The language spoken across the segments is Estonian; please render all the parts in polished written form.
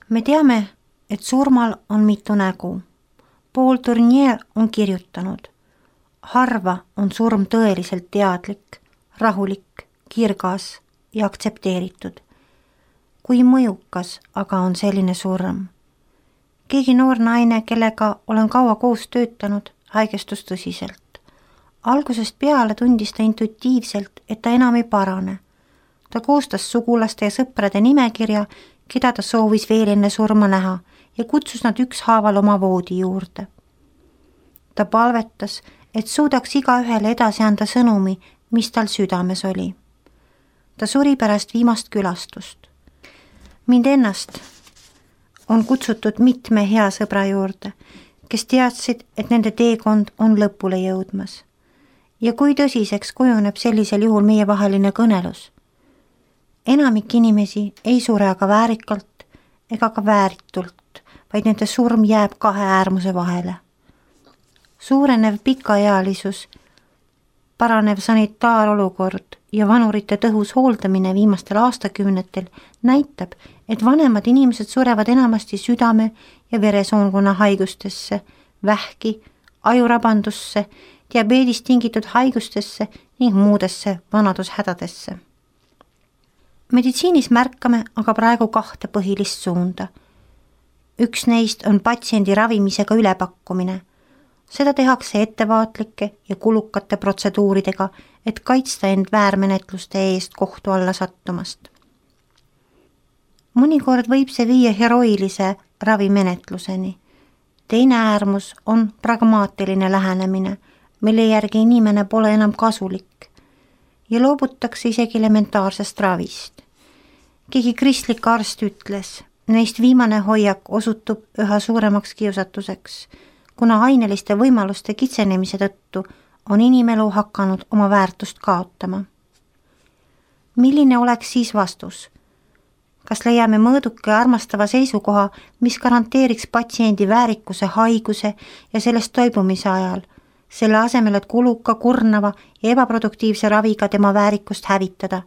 Me teame, et surmal on mitu nägu. Paul Tournier on kirjutanud: harva on surm tõeliselt teadlik, rahulik, kirgas ja aktsepteeritud. Kui mõjukas aga on selline surm? Keegi noor naine, kellega olen kaua koos töötanud, haigestus tõsiselt. Algusest peale tundis ta intuitiivselt, et ta enam ei parane. Ta koostas sugulaste ja sõprade nimekirja, keda ta soovis veel enne surma näha ja kutsus nad ükshaaval oma voodi juurde. Ta palvetas, et suudaks igaühele edasi anda sõnumi, mis tal südames oli. Ta suri pärast viimast külastust. Mind ennast on kutsutud mitme hea sõbra juurde, kes teadsid, et nende teekond on lõpule jõudmas. Ja kui tõsiseks kujuneb sellisel juhul meievaheline kõnelus? Enamik inimesi ei sure aga väärikalt ega ka vääritult, vaid nende surm jääb kahe äärmuse vahele. Suurenev pikaealisus, paranev sanitaarolukord ja vanurite tõhus hooldamine viimastel aastakümnetel näitab, et vanemad inimesed surevad enamasti südame- ja veresoonkonna haigustesse, vähki, ajurabandusse, diabeedist tingitud haigustesse ning muudesse vanadushädadesse. Meditsiinis märkame aga praegu kahte põhilist suunda. Üks neist on patsiendi ravimisega ülepakkumine. Seda tehakse ettevaatlike ja kulukate protseduuridega, et kaitsta end väärmenetluste eest kohtu alla sattumast. Mõnikord võib see viia heroilise ravimenetluseni. Teine äärmus on pragmaatiline lähenemine, mille järgi inimene pole enam kasulik ja loobutakse isegi elementaarsest ravist. Keegi kristlik arst ütles, neist viimane hoiak osutub üha suuremaks kiusatuseks, kuna aineliste võimaluste kitsenemise tõttu on inimelu hakanud oma väärtust kaotama. Milline oleks siis vastus? Kas leiame mõõduka ja armastava seisukoha, mis garanteeriks patsiendi väärikuse haiguse ja sellest toibumise ajal, selle asemel, et kuluka, kurnava ja ebaproduktiivse raviga tema väärikust hävitada?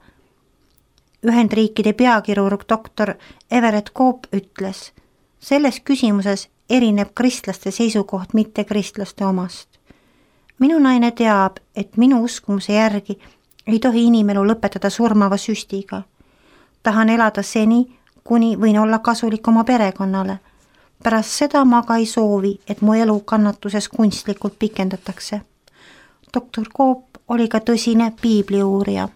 Ühendriikide peakirurg doktor Everett Koop ütles, selles küsimuses erineb kristlaste seisukoht mitte kristlaste omast. Minu naine teab, et minu uskumuse järgi ei tohi inimelu lõpetada surmava süstiga. Tahan elada seni, kuni võin olla kasulik oma perekonnale. Pärast seda ma ka ei soovi, et mu elu kannatuses kunstlikult pikendatakse. Doktor Koop oli ka tõsine piibliuurija.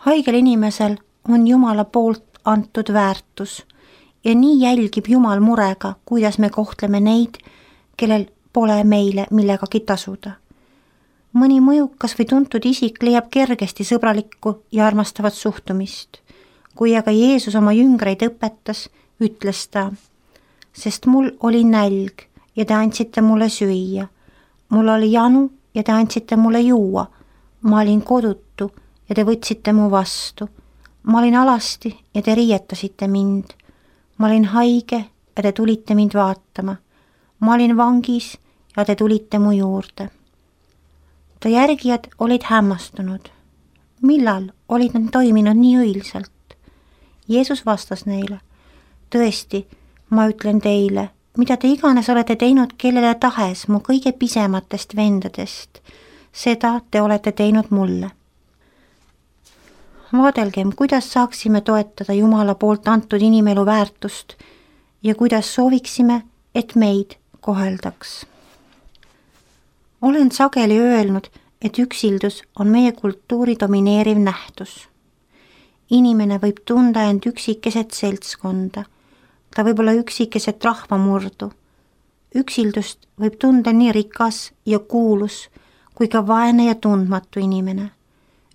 Haigel inimesel on Jumala poolt antud väärtus ja nii jälgib Jumal murega, kuidas me kohtleme neid, kellel pole meile millegagi tasuda. Mõni mõjukas või tuntud isik leiab kergesti sõbralikku ja armastavat suhtumist. Kui aga Jeesus oma jüngreid õpetas, ütles ta, sest mul oli nälg ja te andsite mulle süüa. Mul oli janu ja te andsite mulle juua. Ma olin kodutu ja te võtsite mu vastu. Ma olin alasti ja te riietasite mind. Ma olin haige ja te tulite mind vaatama. Ma olin vangis ja te tulite mu juurde. Ta järgijad olid hämmastunud. Millal olid nad toiminud nii õilsalt? Jeesus vastas neile, tõesti, ma ütlen teile, mida te iganes olete teinud kellele tahes mu kõige pisematest vendadest, seda te olete teinud mulle. Vaadelgem, kuidas saaksime toetada Jumala poolt antud inimelu väärtust ja kuidas sooviksime, et meid koheldaks. Olen sageli öelnud, et üksildus on meie kultuuri domineeriv nähtus. Inimene võib tunda end üksikeset seltskonda, ta võib olla üksikeset rahvamurdu. Üksildust võib tunda nii rikas ja kuulus kui ka vaene ja tundmatu inimene.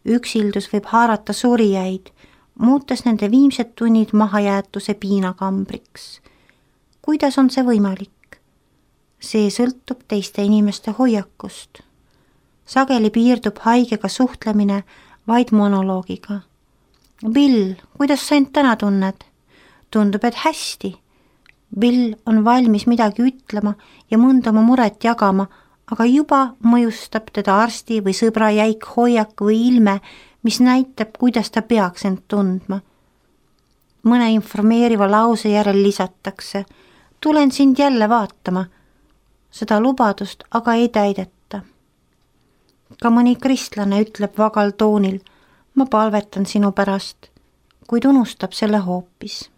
Üksildus võib haarata surijaid, muutes nende viimsed tunnid mahajäetuse piinakambriks. Kuidas on see võimalik? See sõltub teiste inimeste hoiakust. Sageli piirdub haigega suhtlemine vaid monoloogiga. Bill, kuidas sa end täna tunned? Tundub, et hästi. Bill on valmis midagi ütlema ja mõnda oma muret jagama, aga juba mõjustab teda arsti või sõbra jäik hoiak või ilme, mis näitab, kuidas ta peaks end tundma. mõne informeeriva lause järel lisatakse: tulen sind jälle vaatama. Seda lubadust aga ei täideta. Ka mõni kristlane ütleb vagal toonil: ma palvetan sinu pärast, kuid unustab selle hoopis.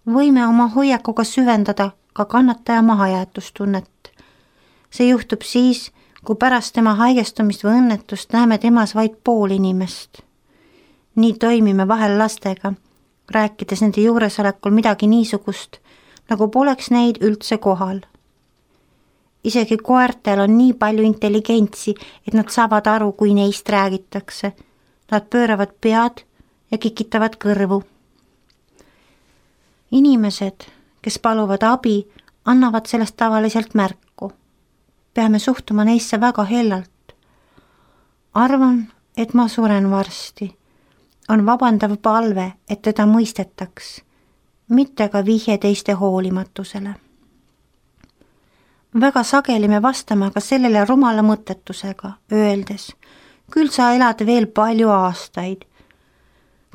Võime oma hoiakuga süvendada ka kannataja mahajäetustunnet. See juhtub siis, kui pärast tema haigestumist või õnnetust näeme temas vaid pool inimest. Nii toimime vahel lastega, rääkides nende juuresolekul midagi niisugust, nagu poleks neid üldse kohal. Isegi koertel on nii palju intelligentsi, et nad saavad aru, kui neist räägitakse. Nad pööravad pead ja kikitavad kõrvu. Inimesed, kes paluvad abi, annavad sellest tavaliselt märku. Peame suhtuma neisse väga hellalt. Arvan, et ma suren varsti. On vabandav palve, et teda mõistetaks, mitte ka vihje teiste hoolimatusele. Väga sageli me vastame ka sellele rumala mõttetusega, öeldes: küll sa elad veel palju aastaid,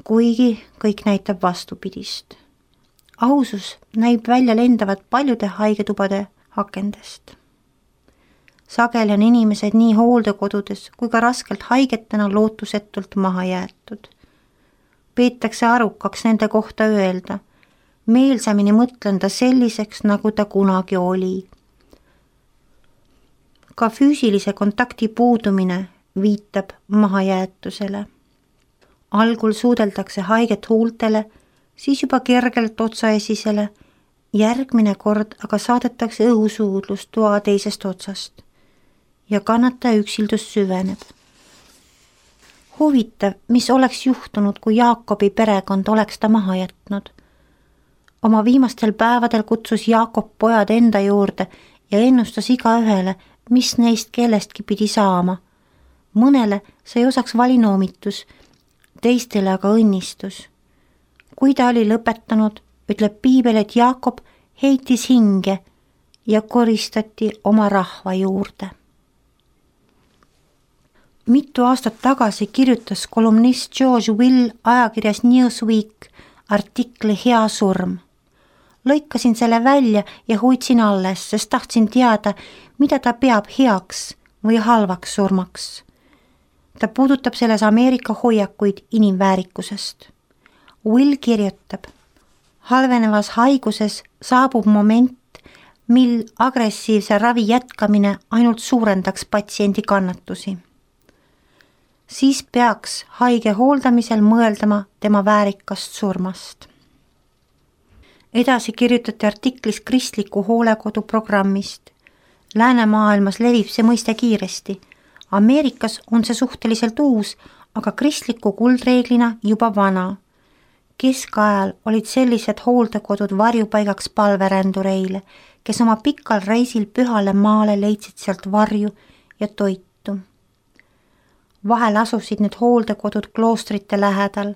kuigi kõik näitab vastupidist. Ausus näib välja lendavat paljude haigetubade akendest. Sageli on inimesed nii hooldekodudes kui ka raskelt haigetena lootusetult maha jäetud. Peetakse arukaks nende kohta öelda: meelsamini mõtlen ta selliseks, nagu ta kunagi oli. Ka füüsilise kontakti puudumine viitab mahajäetusele. Algul suudeldakse haiget huultele, siis juba kergelt otsaesisele, järgmine kord aga saadetakse õhusuudlus toa teisest otsast ja kannataja üksildus süveneb. Huvitav, mis oleks juhtunud, kui Jaakobi perekond oleks ta maha jätnud. Oma viimastel päevadel kutsus Jaakob pojad enda juurde ja ennustas igaühele, mis neist kellestki pidi saama. Mõnele sai osaks valinoomitus, teistele aga õnnistus. Kui ta oli lõpetanud, ütleb piibel, et Jaakob heitis hinge ja koristati oma rahva juurde. Mitu aastat tagasi kirjutas kolumnist George Will ajakirjas Newsweek artikli Hea surm. Lõikasin selle välja ja hoidsin alles, sest tahtsin teada, mida ta peab heaks või halvaks surmaks. Ta puudutab selles Ameerika hoiakuid inimväärikusest. Will kirjutab: halvenevas haiguses saabub moment, mil agressiivse ravi jätkamine ainult suurendaks patsiendi kannatusi. Siis peaks haige hooldamisel mõeldama tema väärikast surmast. Edasi kirjutati artiklis kristliku hoolekodu programmist. Läänemaailmas levib see mõiste kiiresti. Ameerikas on see suhteliselt uus, aga kristliku kuldreeglina juba vana. Keskajal olid sellised hooldekodud varjupaigaks palverändureile, kes oma pikal reisil pühale maale leidsid sealt varju ja toitu. Vahel asusid need hooldekodud kloostrite lähedal.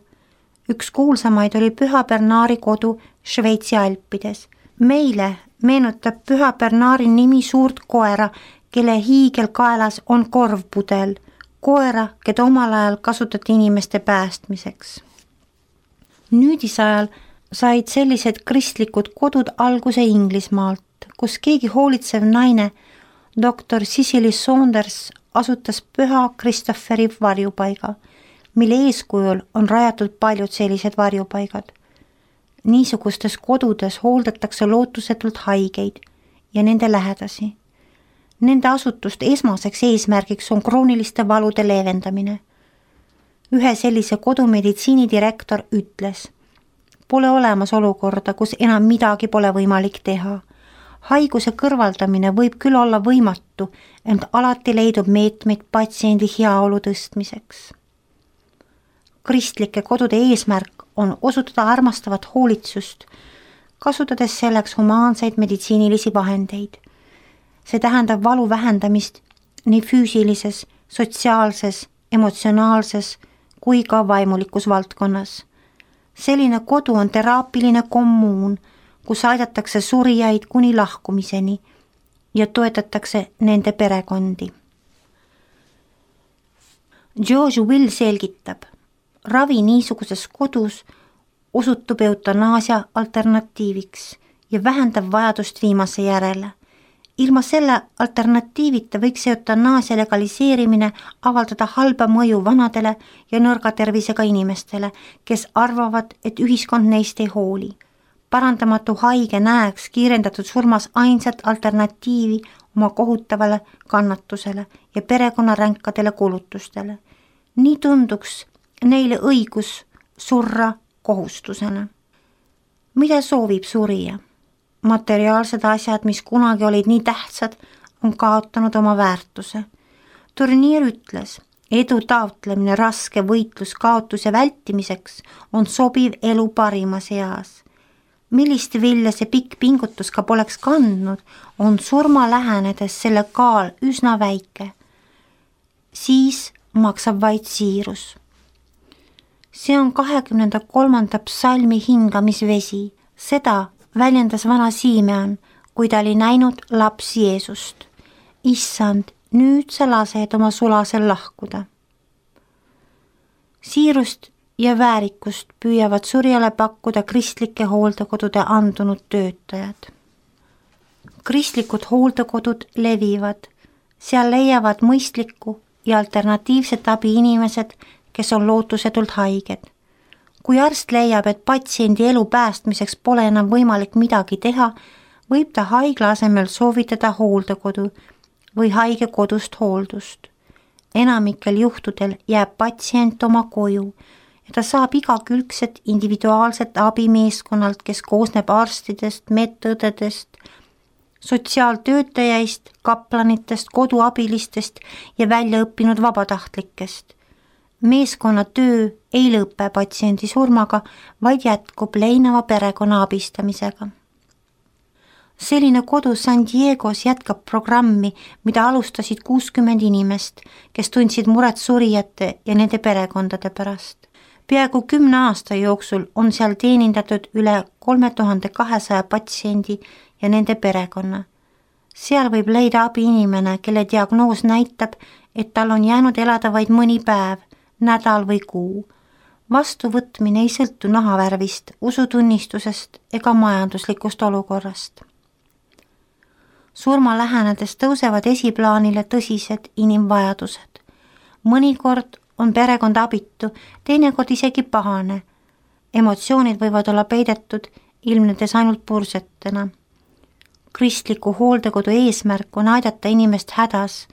Üks kuulsamaid oli Püha Bernari kodu Šveitsi Alpides. Meile meenutab Püha Bernari nimi suurt koera, kelle hiigelkaelas on korvpudel, koera, keda omal ajal kasutati inimeste päästmiseks. Nüüdisajal said sellised kristlikud kodud alguse Inglismaalt, kus keegi hoolitsev naine, doktor Cicely Saunders, asutas Püha Christopheri varjupaiga, mille eeskujul on rajatud paljud sellised varjupaigad. Niisugustes kodudes hooldatakse lootusetult haigeid ja nende lähedasi. Nende asutuste esmaseks eesmärgiks on krooniliste valude leevendamine. Ühe sellise kodu meditsiinidirektor ütles: pole olemas olukorda, kus enam midagi pole võimalik teha. Haiguse kõrvaldamine võib küll olla võimatu, ent alati leidub meetmeid patsiendi heaolu tõstmiseks. Kristlike kodude eesmärk on osutada armastavat hoolitsust, kasutades selleks humaanseid meditsiinilisi vahendeid. See tähendab valu vähendamist nii füüsilises, sotsiaalses, emotsionaalses kui ka vaimulikus valdkonnas. Selline kodu on teraapiline kommuun, kus aidatakse surijaid kuni lahkumiseni ja toetatakse nende perekondi. George Will selgitab: ravi niisuguses kodus osutub eutanaasia alternatiiviks ja vähendab vajadust viimase järele. Ilma selle alternatiivita võiks eutanaasia legaliseerimine avaldada halba mõju vanadele ja nõrga tervisega inimestele, kes arvavad, et ühiskond neist ei hooli. Parandamatu haige näeks kiirendatud surmas ainsat alternatiivi oma kohutavale kannatusele ja perekonna ränkadele kulutustele. Nii tunduks neile õigus surra kohustusena. Mida soovib surija? Materiaalsed asjad, mis kunagi olid nii tähtsad, on kaotanud oma väärtuse. Turniir ütles, edu taotlemine raske võitlus kaotuse vältimiseks on sobiv elu parimas eas. Millist vilja see pikk pingutus ka poleks kandnud, on surma lähenedes selle kaal üsna väike. Siis maksab vaid siirus. See on 23. psalmi hingamisvesi. Seda väljendas vana Siimeon, kui ta oli näinud laps Jeesust. Issand, nüüd sa lased oma sulasel lahkuda. Siirust ja väärikust püüavad surjale pakkuda kristlike hooldekodude andunud töötajad. Kristlikud hooldekodud levivad, seal leiavad mõistlikku ja alternatiivset abi inimesed, kes on lootusetult haiged. Kui arst leiab, et patsiendi elu päästmiseks pole enam võimalik midagi teha, võib ta haigla asemel soovitada hooldekodu või haige kodust hooldust. Enamikel juhtudel jääb patsient oma koju ja ta saab igakülgset individuaalset abi meeskonnalt, kes koosneb arstidest, medõdedest, sotsiaaltöötajaist, kaplanitest, koduabilistest ja väljaõppinud vabatahtlikest. Meeskonna töö ei lõpe patsiendi surmaga, vaid jätkub leinava perekonna abistamisega. Selline kodu San Diegos jätkab programmi, mida alustasid 60 inimest, kes tundsid muret surijate ja nende perekondade pärast. Peaaegu 10 aasta jooksul on seal teenindatud üle 3200 patsiendi ja nende perekonna. Seal võib leida abi inimene, kelle diagnoos näitab, et tal on jäänud elada vaid mõni päev, nädal või kuu. Vastuvõtmine ei sõltu nahavärvist, usutunnistusest ega majanduslikust olukorrast. Surma lähenedes tõusevad esiplaanile tõsised inimvajadused. Mõnikord on perekond abitu, teinekord isegi pahane. Emotsioonid võivad olla peidetud, ilmnedes ainult pursetena. Kristliku hooldekodu eesmärk on aidata inimest hädas,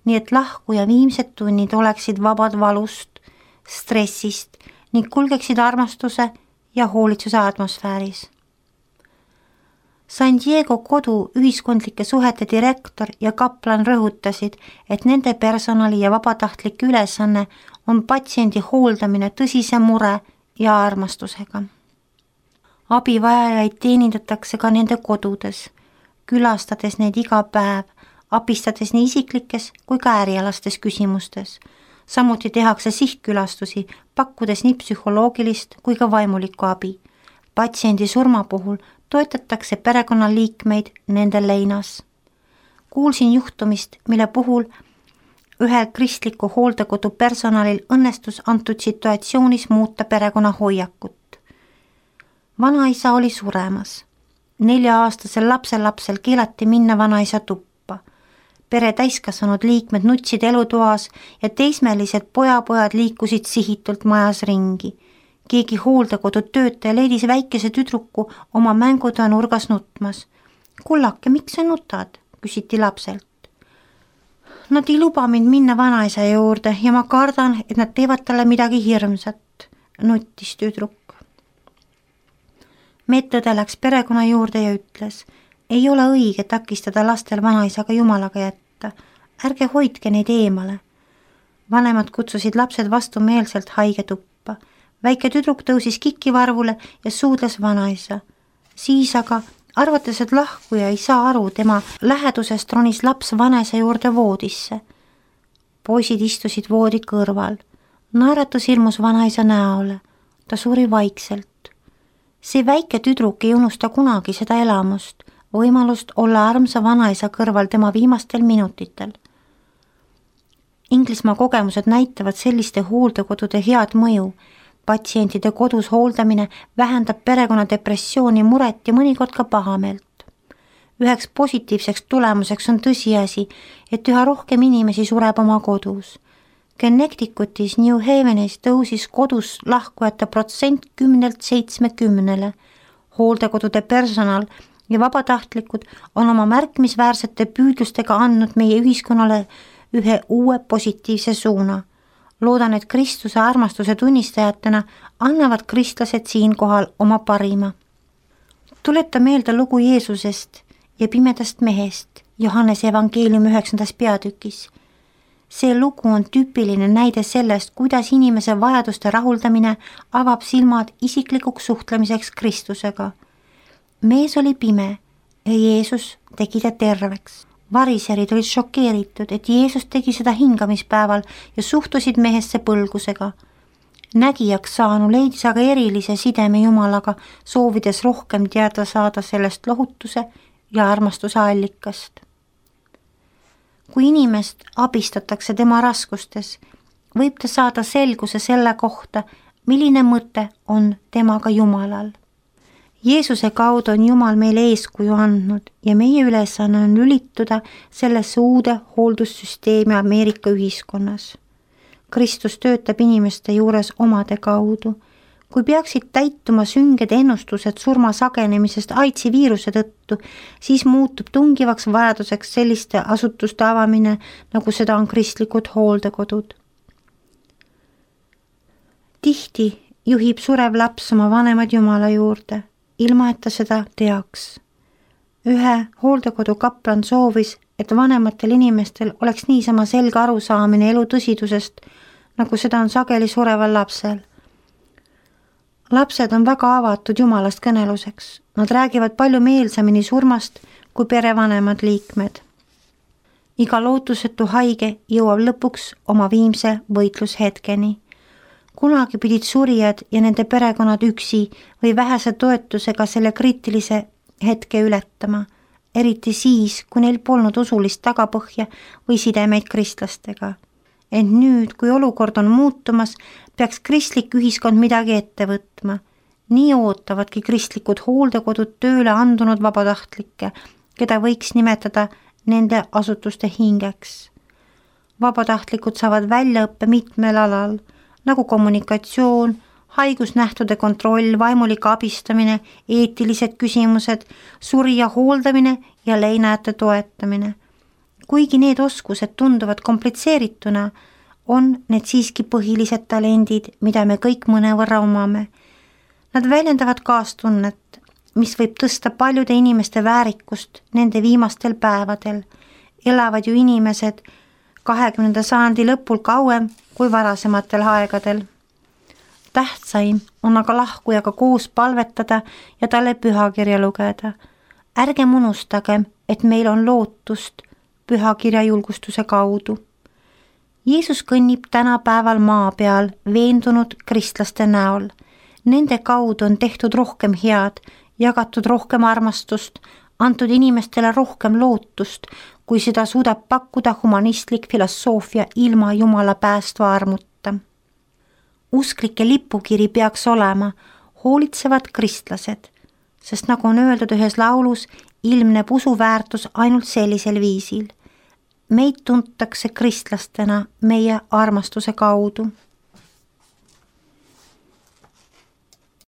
nii et lahkuja viimsed tunnid oleksid vabad valust, stressist ning kulgeksid armastuse ja hoolitsuse atmosfääris. San Diego kodu ühiskondlike suhete direktor ja kaplan rõhutasid, et nende personali ja vabatahtlik ülesanne on patsiendi hooldamine tõsise mure ja armastusega. Abivajajaid teenindatakse ka nende kodudes, külastades neid iga päev, abistades nii isiklikes kui ka ärialastes küsimustes. Samuti tehakse sihtkülastusi, pakkudes nii psühholoogilist kui ka vaimulikku abi. Patsiendi surma puhul toetatakse perekonnaliikmeid nende leinas. Kuulsin juhtumist, mille puhul ühel kristliku hooldekodu personalil õnnestus antud situatsioonis muuta perekonna hoiakut. Vanaisa oli suremas. 4-aastasel lapselapsel keelati minna vanaisa tuppa. Pere täiskasvanud liikmed nutsid elutoas ja teismelised pojapojad liikusid sihitult majas ringi. Keegi hooldekodu töötaja leidis väikese tüdruku oma mängutoa nurgas nutmas. Kullake, miks sa nutad? Küsiti lapselt. Nad ei luba mind minna vanaisa juurde ja ma kardan, et nad teevad talle midagi hirmsat, nuttis tüdruk. Medõde läks perekonna juurde ja ütles, ei ole õige takistada lastel vanaisaga jumalaga jätta. Ärge hoidke neid eemale. Vanemad kutsusid lapsed vastumeelselt haige tuppa. Väike tüdruk tõusis kikivarvule ja suudles vanaisa. Siis aga, arvates, et lahkuja ei saa aru tema lähedusest, ronis laps vanaisa juurde voodisse. Poisid istusid voodi kõrval. Naeratus ilmus vanaisa näole. Ta suri vaikselt. See väike tüdruk ei unusta kunagi seda elamust, võimalust olla armsa vanaisa kõrval tema viimastel minutitel. Inglismaa kogemused näitavad selliste hooldekodude head mõju. patsientide kodus hooldamine vähendab perekonna depressiooni, muret ja mõnikord ka pahameelt. Üheks positiivseks tulemuseks on tõsiasi, et üha rohkem inimesi sureb oma kodus. Connecticutis New Havenis tõusis kodus lahkujate protsent 10-70. Hooldekodude personal ja vabatahtlikud on oma märkimisväärsete püüdlustega andnud meie ühiskonnale ühe uue positiivse suuna. Loodan, et Kristuse armastuse tunnistajatena annavad kristlased siinkohal oma parima. Tuleta meelde lugu Jeesusest ja pimedast mehest Johannese evangeeliumi 9. peatükis. See lugu on tüüpiline näide sellest, kuidas inimese vajaduste rahuldamine avab silmad isiklikuks suhtlemiseks Kristusega. Mees oli pime ja Jeesus tegi ta terveks. Variserid olid šokeeritud, et Jeesus tegi seda hingamispäeval ja suhtusid mehesse põlgusega. Nägijaks saanu leidis aga erilise sideme Jumalaga, soovides rohkem teada saada sellest lohutuse ja armastuse allikast. Kui inimest abistatakse tema raskustes, võib ta saada selguse selle kohta, milline mõte on temaga Jumalal. Jeesuse kaudu on Jumal meile eeskuju andnud ja meie ülesanne on lülituda sellesse uude hooldussüsteemi Ameerika ühiskonnas. Kristus töötab inimeste juures omade kaudu. Kui peaksid täituma sünged ennustused surma sagenemisest AIDSi viiruse tõttu, siis muutub tungivaks vajaduseks selliste asutuste avamine, nagu seda on kristlikud hooldekodud. Tihti juhib surev laps oma vanemad Jumala juurde, ilma et ta seda teaks. Ühe hooldekodu kaplan soovis, et vanematel inimestel oleks niisama selge arusaamine elu tõsidusest, nagu seda on sageli sureval lapsel. Lapsed on väga avatud Jumalast kõneluseks. Nad räägivad palju meelsamini surmast kui perevanemad liikmed. Iga lootusetu haige jõuab lõpuks oma viimse võitlushetkeni. Kunagi pidid surijad ja nende perekonnad üksi või vähese toetusega selle kriitilise hetke ületama, eriti siis, kui neil polnud usulist tagapõhja või sidemeid kristlastega. Ent nüüd, kui olukord on muutumas, peaks kristlik ühiskond midagi ette võtma. Nii ootavadki kristlikud hooldekodud tööle andunud vabatahtlikke, keda võiks nimetada nende asutuste hingeks. Vabatahtlikud saavad väljaõppe mitmel alal, nagu kommunikatsioon, haigusnähtude kontroll, vaimulik abistamine, eetilised küsimused, surija hooldamine ja leinajate toetamine. Kuigi need oskused tunduvad komplitseerituna, on need siiski põhilised talendid, mida me kõik mõnevõrra omame. Nad väljendavad kaastunnet, mis võib tõsta paljude inimeste väärikust nende viimastel päevadel. Elavad ju inimesed 20. sajandi lõpul kauem kui varasematel aegadel. Tähtsaim on aga lahkujaga koos palvetada ja talle pühakirja lugeda. Ärgem unustagem, et meil on lootust pühakirja julgustuse kaudu. Jeesus kõnnib tänapäeval maa peal veendunud kristlaste näol. Nende kaudu on tehtud rohkem head, jagatud rohkem armastust, antud inimestele rohkem lootust, kui seda suudab pakkuda humanistlik filosoofia ilma Jumala päästva armuta. Usklike lipukiri peaks olema hoolitsevad kristlased, sest nagu on öeldud ühes laulus, ilmneb usuväärtus ainult sellisel viisil. Meid tuntakse kristlastena meie armastuse kaudu.